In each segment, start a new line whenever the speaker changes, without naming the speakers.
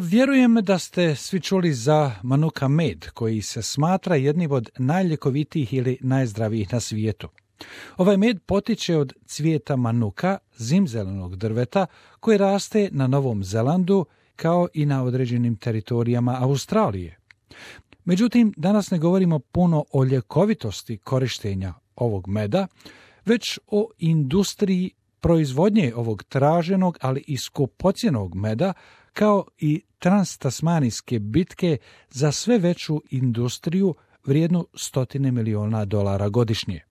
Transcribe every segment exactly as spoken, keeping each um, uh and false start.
Vjerujem da ste svi čuli za manuka med, koji se smatra jednim od najljekovitijih ili najzdravijih na svijetu. Ovaj med potiče od cvijeta manuka, zimzelenog drveta, koji raste na Novom Zelandu, kao i na određenim teritorijama Australije. Međutim, danas ne govorimo puno o ljekovitosti korištenja ovog meda, već o industriji proizvodnje ovog traženog, ali i skupocjenog meda, kao i transtasmanijske bitke za sve veću industriju vrijednu stotine miliona dolara godišnje.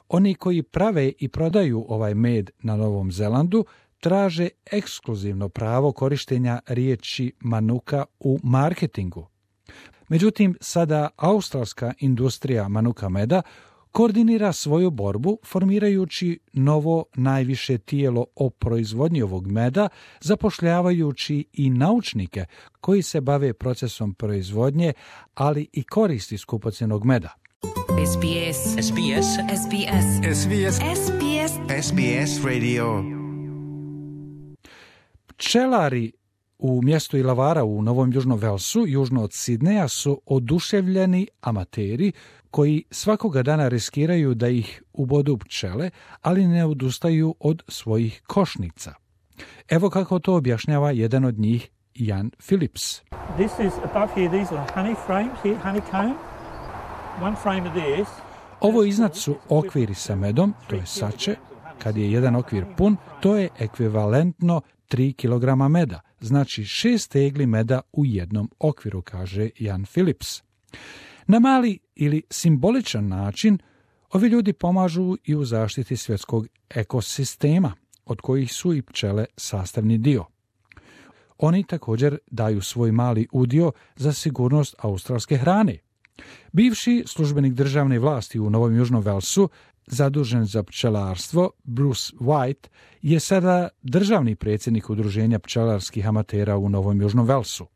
Oni koji prave i prodaju ovaj med na Novom Zelandu traže ekskluzivno pravo korištenja riječi manuka u marketingu. Međutim, sada australska industrija manuka meda koordinira svoju borbu formirajući novo najviše tijelo o proizvodnji ovog meda, zapošljavajući i naučnike koji se bave procesom proizvodnje, ali i koristi skupocjenog meda.
S B S. S B S. S B S.
S B S.
S B S.
S B S Radio.
Pčelari u mjestu Illawarra u Novom Južnom Velsu, južno od Sidneja, su oduševljeni amateri koji svakoga dana riskiraju da ih ubodu pčele, ali ne odustaju od svojih košnica. Evo kako to objašnjava jedan od njih, Jan Phillips.
This is above here, these are honey frames here, honeycomb. One frame of this.
Ovo iznad su okviri sa medom, to je sače. Kad je jedan okvir pun, to je ekvivalentno tri kilograma meda, znači šest tegli meda u jednom okviru, kaže Jan Phillips. Na mali ili simboličan način, ovi ljudi pomažu i u zaštiti svjetskog ekosistema, od kojih su i pčele sastavni dio. Oni također daju svoj mali udio za sigurnost australske hrane. Bivši službenik državne vlasti u Novom Južnom Velsu, zadužen za pčelarstvo, Bruce White, je sada državni predsjednik udruženja pčelarskih amatera u Novom Južnom Velsu.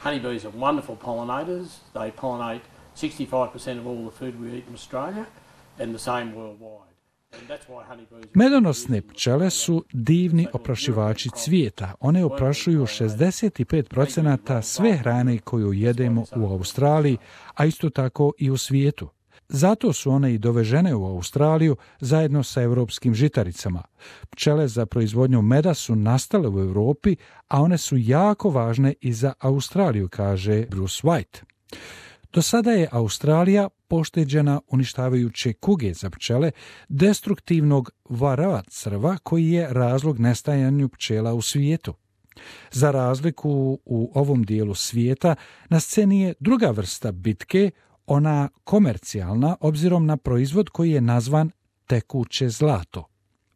Honeybees are wonderful pollinators. They pollinate sixty-five percent of all the food we eat in Australia and the same worldwide.
Medonosne pčele su divni oprašivači cvijeta. One oprašuju šezdeset pet procenata sve hrane koju jedemo u Australiji, a isto tako i u svijetu. Zato su one i dovežene u Australiju zajedno sa europskim žitaricama. Pčele za proizvodnju meda su nastale u Europi, a one su jako važne i za Australiju, kaže Bruce White. Do sada je Australija pošteđena uništavajuće kuge za pčele, destruktivnog varroa crva koji je razlog nestajanju pčela u svijetu. Za razliku u ovom dijelu svijeta, na sceni je druga vrsta bitke, ona komercijalna, obzirom na proizvod koji je nazvan tekuće zlato.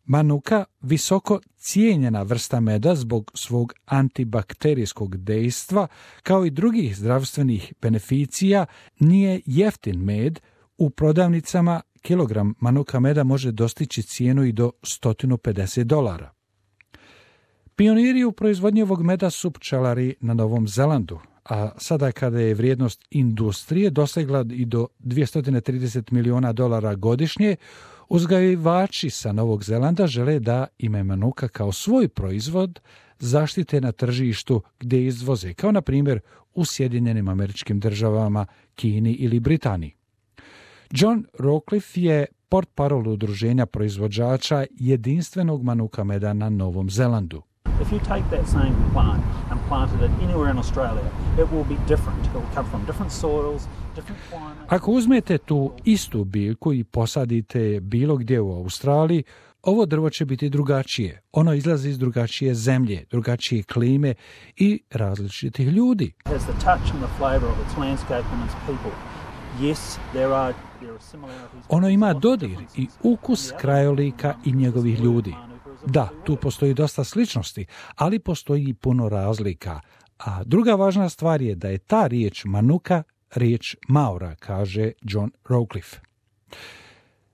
Manuka, visoko cijenjena vrsta meda zbog svog antibakterijskog dejstva, kao i drugih zdravstvenih beneficija, nije jeftin med. U prodavnicama kilogram manuka meda može dostići cijenu i do sto pedeset dolara. Pioniri u proizvodnji ovog meda su pčelari na Novom Zelandu, a sada kada je vrijednost industrije dosegla i do dvjesto trideset miliona dolara godišnje, uzgajivači sa Novog Zelanda žele da ime manuka kao svoj proizvod zaštite na tržištu gdje izvoze, kao na primjer u Sjedinjenim Američkim Državama, Kini ili Britaniji. John Rockcliffe je portparol udruženja proizvođača jedinstvenog manuka meda na Novom Zelandu.
If you take that same plant and planted it anywhere in Australia, it will be different. It will come from different soils, different climates.
Ako uzmete tu istu biljku i posadite bilo gdje u Australiji, ovo drvo će biti drugačije. Ono izlazi iz drugačije zemlje, drugačije klime i različitih ljudi.
It has the touch and the flavor of its landscape and its people. Yes, there are there are similarities.
Ono ima dodir i ukus krajolika i njegovih ljudi. Da, tu postoji dosta sličnosti, ali postoji i puno razlika. A druga važna stvar je da je ta riječ manuka riječ Maora, kaže John Rockcliffe.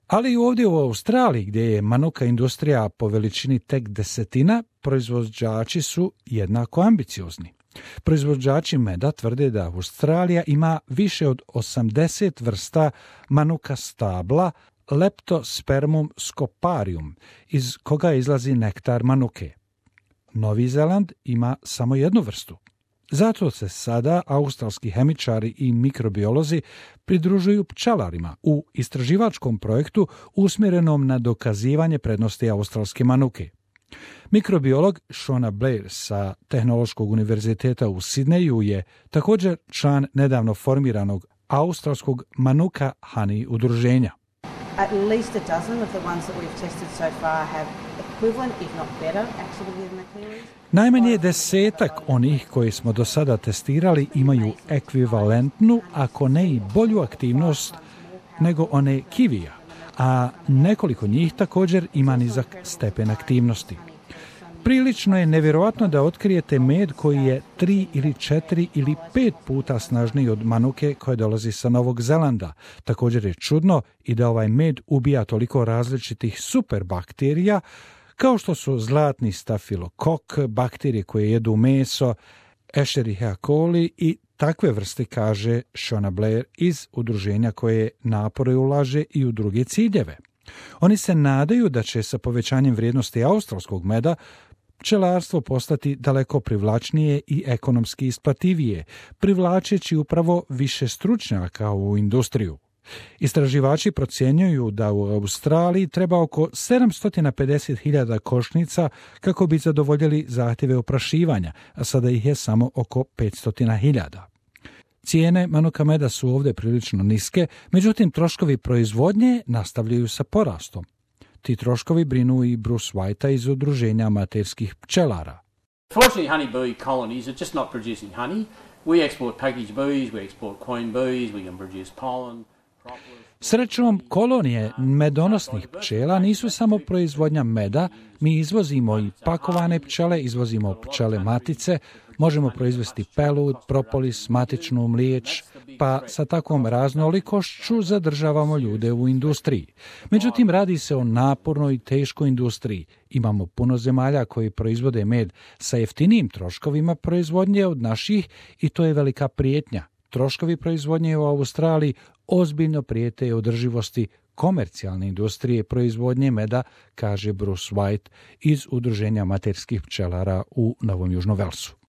Ali i ovdje u Australiji, gdje je manuka industrija po veličini tek desetina, proizvođači su jednako ambiciozni. Proizvođači meda tvrde da Australija ima više od osamdeset vrsta manuka stabla, Leptospermum scoparium, iz koga izlazi nektar manuke. Novi Zeland ima samo jednu vrstu. Zato se sada australski hemičari i mikrobiolozi pridružuju pčelarima u istraživačkom projektu usmjerenom na dokazivanje prednosti australske manuke. Mikrobiolog Shona Blair sa Tehnološkog univerziteta u Sidneju je također član nedavno formiranog australskog Manuka Honey udruženja.
At least a dozen of the ones that we've tested so far have equivalent, if not better, activity than the kiwis.
Najmanje desetak onih koji smo do sada testirali imaju ekvivalentnu, ako ne i bolju aktivnost nego one kivija, a nekoliko njih također ima nizak stepen aktivnosti. Prilično je nevjerojatno da otkrijete med koji je tri ili četiri ili pet puta snažniji od manuke koja dolazi sa Novog Zelanda. Također je čudno i da ovaj med ubija toliko različitih superbakterija, kao što su zlatni stafilokok, bakterije koje jedu meso, Escherichia coli i takve vrste, kaže Shona Blair iz udruženja koje napore ulaže i u druge ciljeve. Oni se nadaju da će sa povećanjem vrijednosti australskog meda pčelarstvo postati daleko privlačnije i ekonomski isplativije, privlačeći upravo više stručnjaka u industriju. Istraživači procjenjuju da u Australiji treba oko sedamsto pedeset hiljada košnica kako bi zadovoljili zahtjeve oprašivanja, a sada ih je samo oko petsto hiljada. Cijene manuka meda su ovdje prilično niske, međutim troškovi proizvodnje nastavljaju sa porastom. Ti troškovi brinu i Bruce Whitea iz udruženja amaterskih pčelara.
Fortunately, honeybee colonies are just not producing honey. We export packaged bees, we export queen bees, we can produce pollen.
Srećom, kolonije medonosnih pčela nisu samo proizvodnja meda, mi izvozimo i pakovane pčele, izvozimo pčele matice, možemo proizvesti pelud, propolis, matičnu mliječ, pa sa takvom raznolikošću zadržavamo ljude u industriji. Međutim, radi se o napornoj i teškoj industriji. Imamo puno zemalja koji proizvode med sa jeftinijim troškovima proizvodnje od naših i to je velika prijetnja. Troškovi proizvodnje u Australiji ozbiljno prijete održivosti komercijalne industrije proizvodnje meda, kaže Bruce White iz udruženja amaterskih pčelara u Novom Južnom Velsu.